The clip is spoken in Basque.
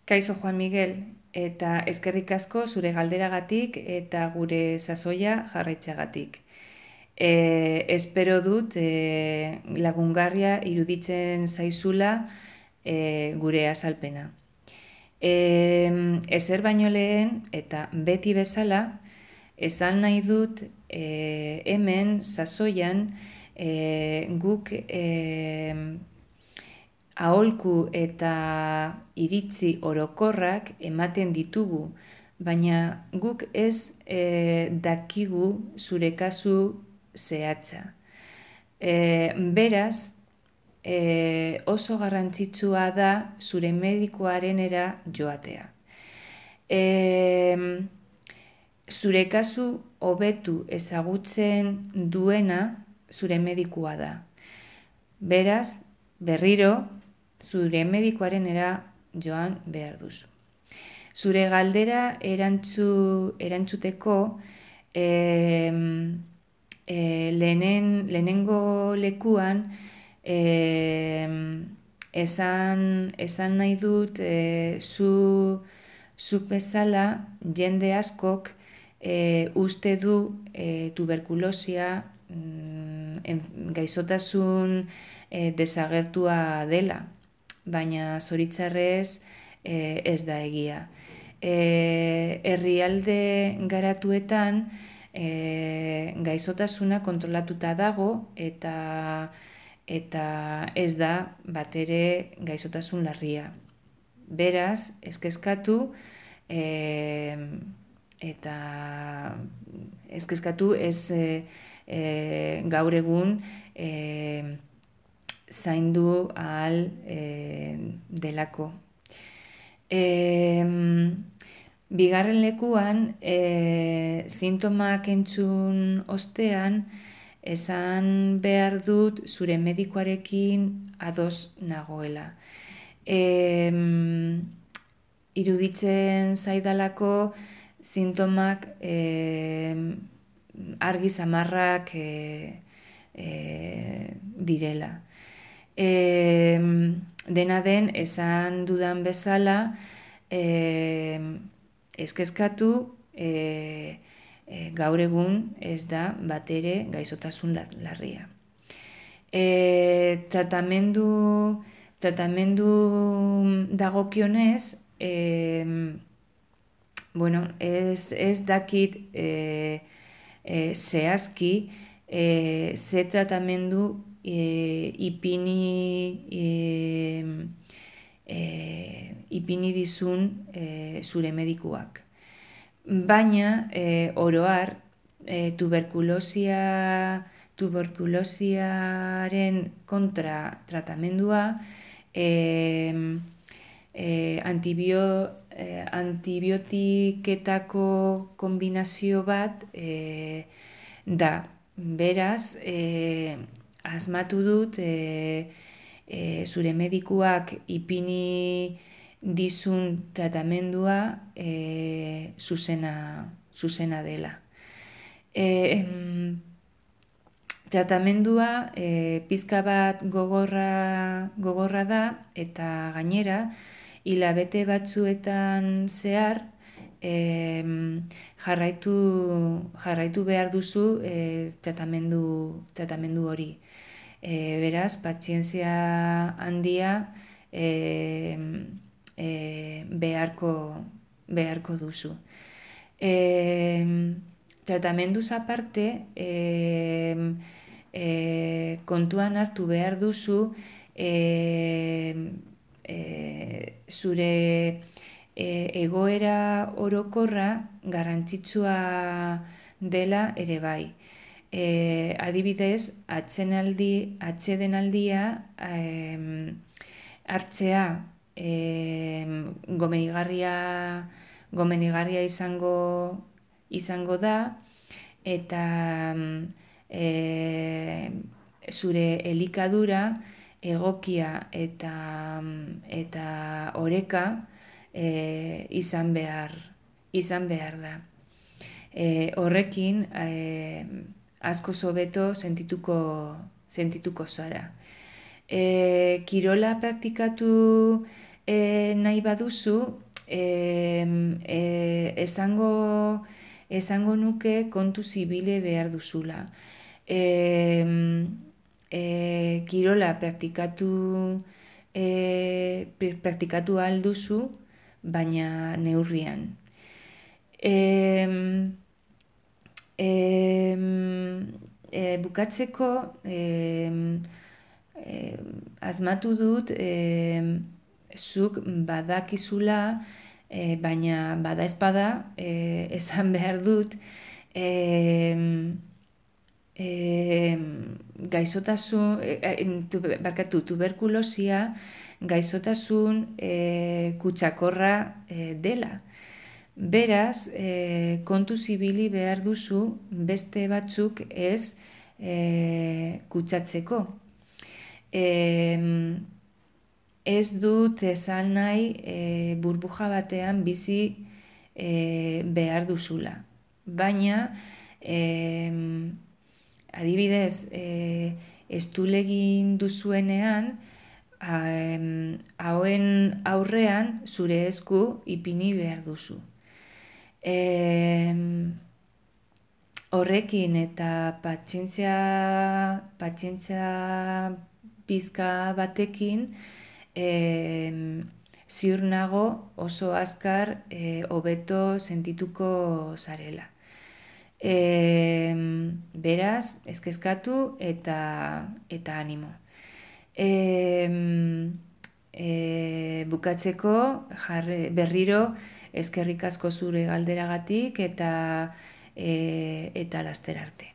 Kaixo Juan Miguel, eta eskerrik asko zure galderagatik eta gure sasoia jarraitzeagatik. Espero dut lagungarria iruditzen zaizula gure azalpena. Ezer baino lehen eta beti bezala, esan nahi dut hemen sasoian guk aholku eta iritzi orokorrak ematen ditugu, baina guk ez dakigu zure kasu zehatza. Beraz, oso garrantzitsua da zure medikuarenera joatea. Zure kasu hobetu ezagutzen duena zure medikua da. Beraz, berriro, zure medikuarenera joan behar duzu. Zure galdera erantzuteko lehenengo lekuan esan nahi dut zuk bezala jende askok uste du tuberkulosia gaixotasun desagertua dela, baina zoritzarrez ez da egia. Herrialde garatuetan gaixotasuna kontrolatuta dago eta ez da batere gaixotasun larria. Beraz, ez kezkatu eta ez kezkatu ez gaur egun zaindu ahal delako. Bigarren lekuan, sintomak entzun ostean, esan behar dut zure medikuarekin ados nagoela. Iruditzen zaidalako sintomak argi samarrak direla. Dena den, esan dudan bezala, ez kezkatu, gaur egun ez da batere gaixotasun larria. Tratamendu dagokionez, ez dakit zehazki ze tratamendu ipini dizun zure medikuak. Baina, oroar, tuberkulosiaren kontra tratamendua antibiotiketako kombinazio bat da. Beraz, asmatu dut zure medikuak ipini dizun tratamendua zuzena dela. Tratamendua pizka bat gogorra da eta gainera hilabete batzuetan zehar jarraitu behar duzu tratamendu hori. Beraz, pazientzia handia beharko duzu. Tratamenduz aparte, kontuan hartu behar duzu zure egoera orokorra garrantzitsua dela ere bai. Adibidez, atsedenaldia hartzea gomenigarria izango da eta zure elikadura egokia eta oreka izan behar da. Horrekin asko hobeto sentituko zara. Kirola praktikatu nahi baduzu, esango nuke kontu zibile behar duzula. Kirola praktikatu ahal duzu, baina neurrian. Bukatzeko, asmatu dut, zuk badakizula, baina bada espada, esan behar dut, tuberkulosia gaizotasun kutsakorra dela. Beraz, kontu zibili behar duzu beste batzuk ez kutsatzeko. Ez dut esan nahi burbuja batean bizi behar duzula. Baina, adibidez, estulegin duzuenean, hauen aurrean zure esku ipini behar duzu. Horrekin eta pazientzia pizka batekin, ziur nago oso azkar hobeto sentituko zarela. Beraz, ez kezkatu eta animo. Bukatzeko, berriro, eskerrik asko zure galderagatik eta laster arte.